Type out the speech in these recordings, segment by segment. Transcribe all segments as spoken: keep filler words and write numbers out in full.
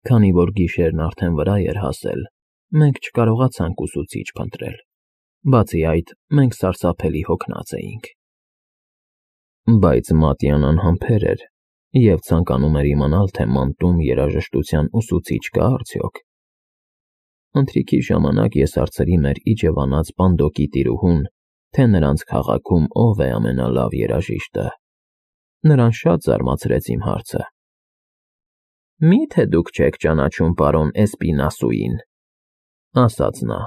Քանի որ գիշերն արդեն վրա էր հասել, մենք չկարողացանք ուսուցիչ փնտրել, բացի այդ, մենք սարսափելի հոգնած էինք։ Բայց Մատյան անհամբեր էր և ցանկանում էր իմանալ, թե Մանտում երաժշտության ուսուցիչ կա՞ արդյոք։ Ընթրիքի ժամանակ ես հարցրի մեր իջևանած պանդոկի տիրուհուն, թե նրանց քաղաքում ով է ամենալավ երաժիշտը։ Նրան շատ զարմացրեց իմ հարցը։ Մի՞թե դուք չեք ճանաչում պարոն Էսպինասուին, ասաց նա։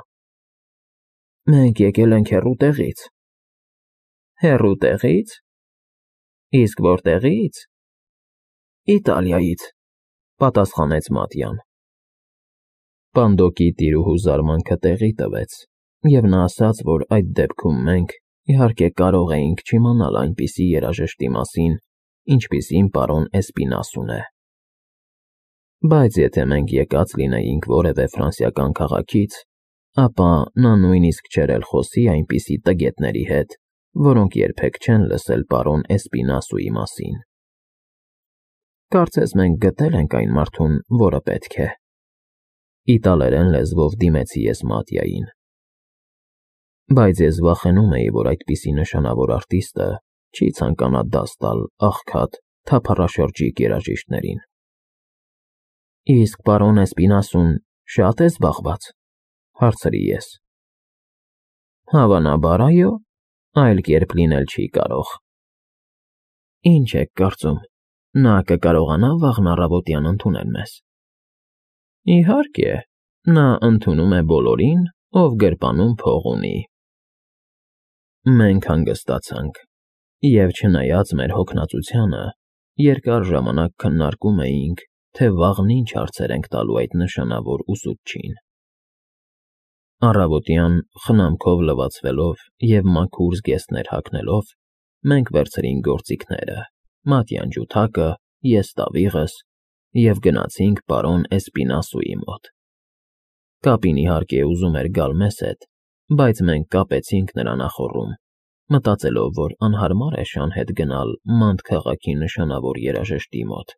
Մենք եկել ենք հեռու տեղից։ Հեռու տեղի՞ց։ Իսկ որտեղի՞ց։ Իտալիայից, պատասխանեց Մատյան։ Պանդոկի տիրուհու զարմանքը տեղի տվեց, և նա ասաց, որ այդ դեպքում մենք, իհարկե, կարող էինք չիմանալ այնպիսի երաժշտի մասին, ինչպիսին պարոն Էսպինասուն է։ Բայց եթե մենք եկած լինեինք որևէ ֆրանսիական քաղաքից, ապա նա նույնիսկ չէր էլ խոսի այնպիսի տգետների հետ, որոնք երբեք չեն լսել պարոն Էսպինասուի մասին։ Կարծես մենք գտել ենք այն մարդուն, որը պետք է։ Իտալերեն լեզվով դիմեցի ես Մատյային։ Բայց ես վախենում էի, որ այդպիսի նշանավոր արտիստը չի ցանկանա դաս տալ աղքատ, թափառաշրջիկ երաժիշտներին։ Իսկ պարոն Էսպինասուն շա՞տ է զբաղված, հարցրի ես։ Հավանաբար, այո, այլ կերպ լինել չի կարող։ Ինչ եք կարծում, նա կկարողանա վաղն առավոտյան ընդունել մեզ։ Իհարկե, նա ընդունում է բոլորին, ով գրպանում փող ունի։ Մենք հանգստացանք, և չնայած մեր հոգնածությանը, երկար ժամանակ քննարկում էինք, թե վաղն ինչ հարցեր ենք տալու այդ նշանավոր ուսուցչին։ Առավոտյան, խնամքով լվացվելով և մաքուր զգեստներ հագնելով, մենք վերցրինք գործիքները, Մատյան ջութակը, ես տավիղս, և գնացինք պարոն Էսպինասուի մոտ։ Կապին իհարկե ուզում էր գալ մեզ հետ, բայց մենք կապեցինք նրա նախոռում, մտածելով, որ անհարմար է շան հետ գնալ Մանտ քաղաքի նշանավոր երաժշտի մոտ։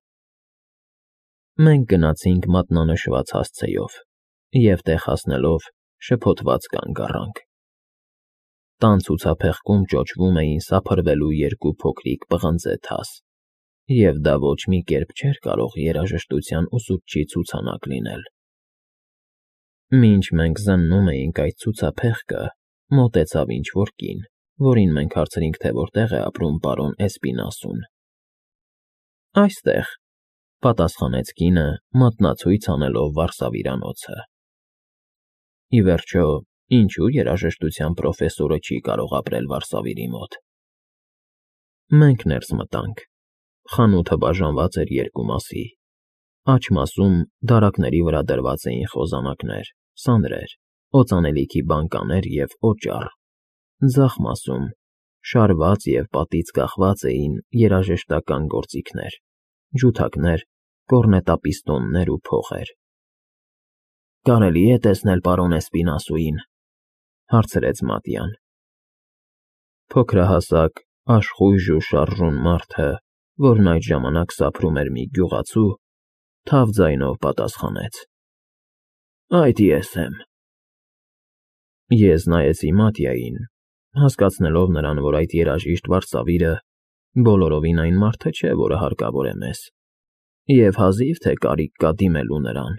Մենք գնացինք մատնանշված հասցեով, և տեղ հասնելով շփոթված կանգ առանք։ Տան ցուցափեղկում ճոճվում էին սափրվելու երկու փոքրիկ պղնձե թաս, և դա ոչ մի կերպ չէր կարող երաժշտության ուսուցչի ցուցանակ լինել։ Մինչ մենք զննում էինք այդ ցուցափեղկը, մոտեցավ ինչ֊որ կին, որին մենք հարցրինք, թե որտեղ է ապրում պարոն Էսպինասուն։ Այստեղ, պատասխանեց կինը, մատնացույց անելով վարսավիրանոցը։ Ի վերջո, ինչու երաժշտության պրոֆեսորը չի կարող ապրել վարսավիրի մոտ։ Մենք ներս մտանք։ Խանութը բաժանված էր երկու մասի։ Աջ մասում դարակների վրա դրված էին խոզանակներ, սանրեր, օծանելիքի բանկաներ և օճառ։ Ձախ մասում շարված և պատից կախված էին երաժշտական գործիքներ, ջութակներ, կոռնետապիստոններ ու փողեր։ Կարելի է տեսնել պարոն Էսպինասուին, հարցրեց Մատյան։ Փոքրահասակ, աշխույժ ու շարժուն մարդը, որն այդ ժամանակ սափրում էր մի գյուղացու, թավ ձայնով պատասխանեց. Այդ ես եմ։ Ես նայեցի Մատյային, հասկացնելով նրան, որ այդ երաժիշտ վարսավիրը բոլորովին այն մարդը չէ, որը հարկավոր է մեզ, և հազիվ թե կարիք կա դիմելու նրան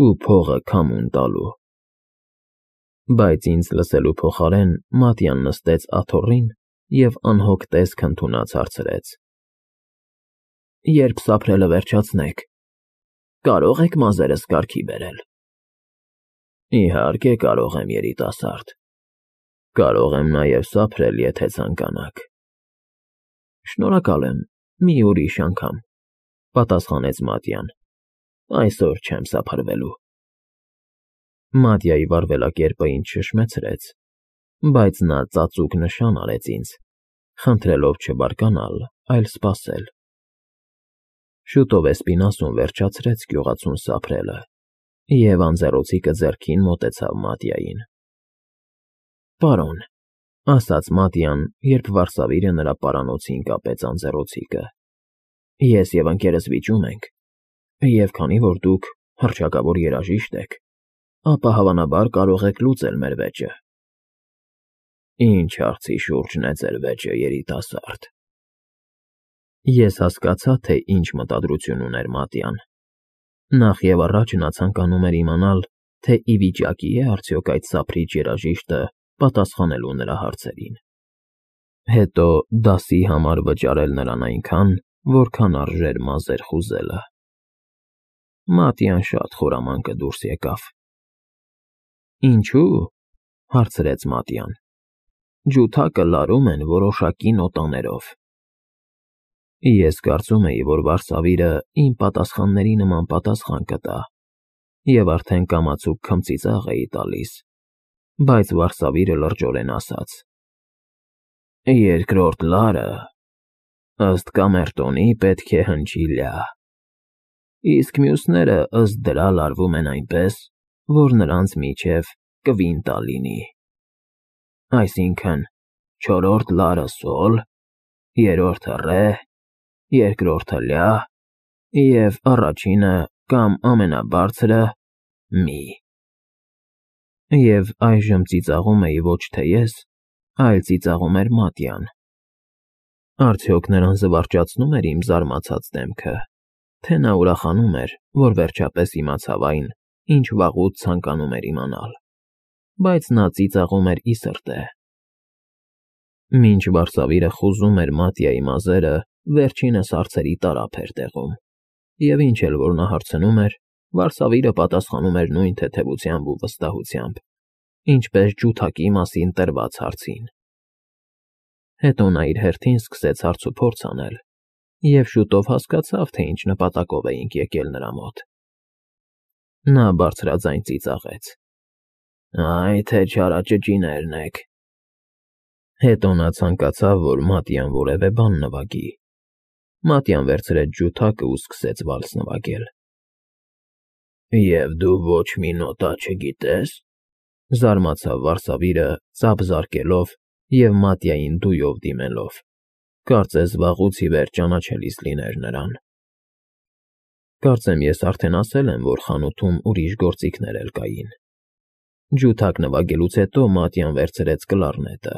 ու փողը քամուն տալու։ Բայց ինձ լսելու փոխարեն Մատյան նստեց աթոռին և անհոգ տեսք ընդունած հարցրեց. Երբ սափրելը վերջացնեք, կարո՞ղ եք մազերս կարգի բերել։ Իհարկե կարող եմ, երիտասարդ, կարող եմ նաև սափրել, եթե ցանկանաք։ Շնորհակալ եմ, մի ուրիշ անգամ, պատասխանեց Մատյան, այսօր չեմ սափրվելու։ Մատյայի վարվելակերպը ինձ շշմեցրեց, բայց նա ծածուկ նշան արեց ինձ, խնդրելով չբարկանալ, այլ սպասել։ Շուտով Էսպինասուն վերջացրեց գյուղացուն սափրելը, և անձեռոցիկը ձեռքին մոտեցավ Մատյային։ Պարոն, ասաց Մատյան, երբ վարսավիրը նրա պարանոցին կապեց անձեռոցիկը, ես և ընկերս վիճում ենք, Եվ քանի որ դուք հռչակավոր երաժիշտ եք, ապա հավանաբար կարող եք լուծել մեր վեճը։ Ինչ հարցի շուրջն է ձեր վեճը, երիտասարդ։ Ես հասկացա, թե ինչ մտադրություն ուներ Մատյան։ Նախ և առաջ նա ցանկանում էր իմանալ, թե ի վիճակի է արդյոք այդ սափրիչ երաժիշտը պատասխանելու նրա հարցերին, հետո դասի համար վճարել նրան այնքան, որքան արժեր մազեր խուզելը։ Մատյան շատ խորամանկ դուրս եկավ։ Ինչո՞ւ, հարցրեց Մատյան։ Ջութակը լարում են որոշակի նոտաներով։ Ես կարծում էի, որ վարսավիրը իմ պատասխանների նման պատասխան կտա, և արդեն կամացուկ քմծիծաղ էի տալիս, բայց վարսավիրը լրջորեն ասաց. Երկրորդ լարը, ըստ կամերտոնի, պետք է հնչի լյա, իսկ մյուսները ըստ դրա լարվում են այնպես, որ նրանց միջև կվինտա լինի, այսինքն՝ չորրորդ լարը սոլ, երրորդը ռե, երկրորդը լյա և առաջինը կամ ամենաբարձրը մի։ Եվ այժմ ծիծաղում էի ոչ թե ես, այլ ծիծաղում էր Մատյան։ Արդյոք նրան զվարճացնո՞ւմ էր իմ զարմացած դեմքը, թե նա ուրախանում էր, որ վերջապես իմացավ այն, ինչ վաղուց ցանկանում էր իմանալ, բայց նա ծիծաղում էր ի սրտե։ Մինչ վարսավիրը խուզում էր Մատյայի մազերը, վերջինս հարցերի տարափ էր տեղում, և ինչ էլ որ նա հարցնում էր, վարսավիրը պատասխանում էր նույն թեթևությամբ ու վստահությամբ, ինչպես ջութակի մասին տրված հարցին։ Հետո նա իր հերթին սկսեց հարցուփորձ անել, և շուտով հասկացավ, թե ինչ նպատակով էինք եկել նրա մոտ։ Նա բարձրաձայն ծիծաղեց. Այ թե չարաճճիներն եք։ Հետո նա ցանկացավ, որ Մատյան որևէ բան նվագի։ Մատյան վերցրեց ջութակը ու սկսեց վալս նվագել։ Եվ դու ոչ մի նոտա չգիտե՞ս, զարմացավ վարսավիրը, ծափ զարկելով և Մատյային դույով դիմելով, կարծես վաղուց ի վեր ճանաչելիս լիներ նրան։ Կարծեմ ես արդեն ասել եմ, որ խանութում ուրիշ գործիքներ էլ կային։ Ջութակ նվագելուց հետո Մատյան վերցրեց կլարնետը։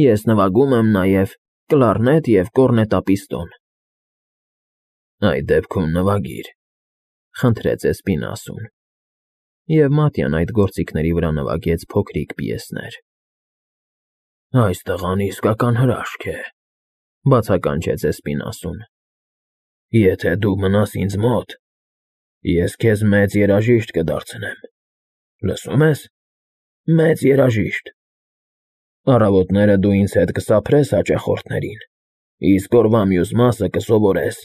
Ես նվագում եմ նաև կլարնետ և կոռնետապիստոն։ Այդ դեպքում նվագիր, խնդրեց Էսպինասուն։ Եվ Մատյան այդ գործիքների վրա նվագեց փոքրիկ պիեսներ։ Այս տղան իսկական հրաշք է, բացականչեց Էսպինասուն։ Եթե դու մնաս ինձ մոտ, ես քեզ մեծ երաժիշտ կդարձնեմ, լսո՞ւմ ես, մեծ երաժիշտ։ Առավոտները դու ինձ հետ կսափրես հաճախորդներին, իսկ օրվա մյուս մասը կսովորես։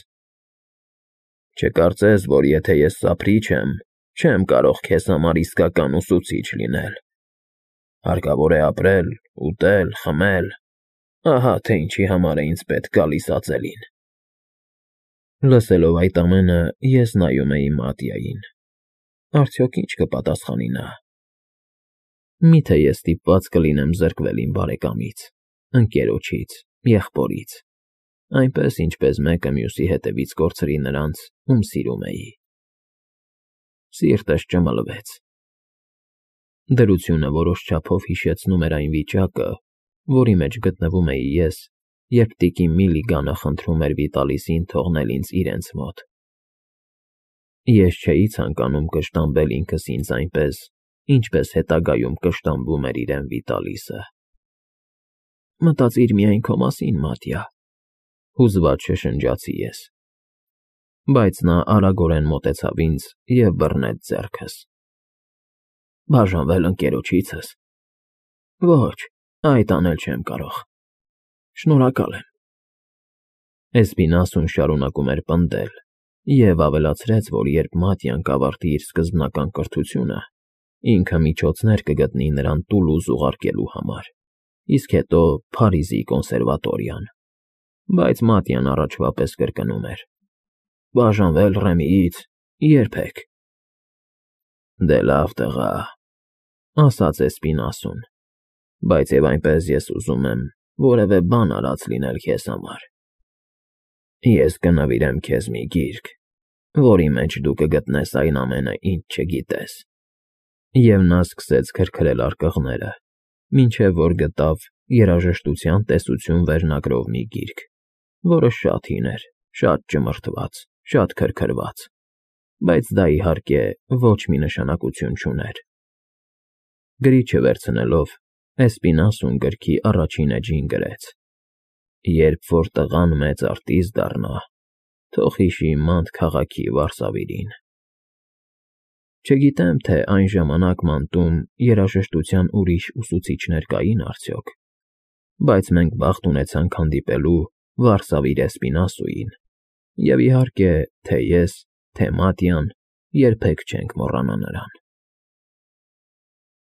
Չկարծես, որ եթե ես սափրիչ եմ, չեմ կարող քեզ համար իսկական ուսուցիչ լինել։ Հարկավոր է ապրել, ուտել, խմել, ահա թե ինչի համար է ինձ պետք գալիս ածելին։ Լսելով այդ ամենը, ես նայում էի Մատյային։ Արդյոք ինչ կպատասխանի նա։ Մի՞թե ես ստիպված կլինեմ զրկվել իմ բարեկամից, ընկերոջից, եղբորից, այնպես, ինչպես մեկը մյուսի հետևից կորցրի նրանց, ում սիրում էի։ Սիրտս ճմլվեց։ Դրությունը որոշ չափով հիշեցնում էր այն վիճակը, որի մեջ գտնվում էի ես, երբ տիկին Միլիգանը խնդրում էր Վիտալիսին թողնել ինձ իրենց մոտ։ Ես չէի ցանկանում կշտամբել ինքս ինձ այնպես, ինչպես հետագայում կշտամբում էր իրեն Վիտալիսը։ Մտածիր միայն քո մասին, Մատյա, հուզված շշնջացի ես։ Բայց նա արագորեն մոտեցավ ինձ և բռնեց ձեռքս։ Բաժանվել ընկերոջիցս։ Ոչ, այդ անել չեմ կարող։ Շնորհակալ եմ։ Էսպինասուն շարունակում էր պնդել և ավելացրեց, որ երբ Մատյան կավարտի իր սկզբնական կրթությունը, ինքը միջոցներ կգտնի նրան Տուլուզ ուղարկելու համար, իսկ հետո Փարիզի կոնսերվատորիան։ Բայց Մատյան առաջվա պես կրկնում էր. Բաժանվել Ռեմիից, երբեք։ Դե լավ տղա, ասաց Էսպինասուն, բայց և այնպես ես ուզում եմ որևէ բան արած լինել քեզ համար։ Ես կնվիրեմ քեզ մի գիրք, որի մեջ դու կգտնես այն ամենը, ինչ չգիտես։ Եվ նա սկսեց քրքրել արկղները, մինչև որ գտավ երաժշտության տեսություն վերնագրով մի գիրք, որը շատ հին էր, շատ ճմրթված, շատ քրքրված, բայց դա, իհարկե, ոչ մի նշանակություն չուներ։ Գրիչը վերցնելով, Էսպինասուն գրքի առաջին էջին գրեց. «Երբ որ տղան մեծ արտիստ դառնա, թող հիշի Մանտ քաղաքի վարսավիրին»։ Չգիտեմ, թե այն ժամանակ Մանտում երաժշտության ուրիշ ուսուցիչներ կային արդյոք, բայց մենք բախտ ունեցանք հանդիպելու վարսավիր Էսպինասուին, և, իհարկե, թե ես, թե Մատյան երբեք չենք մոռանա նրան։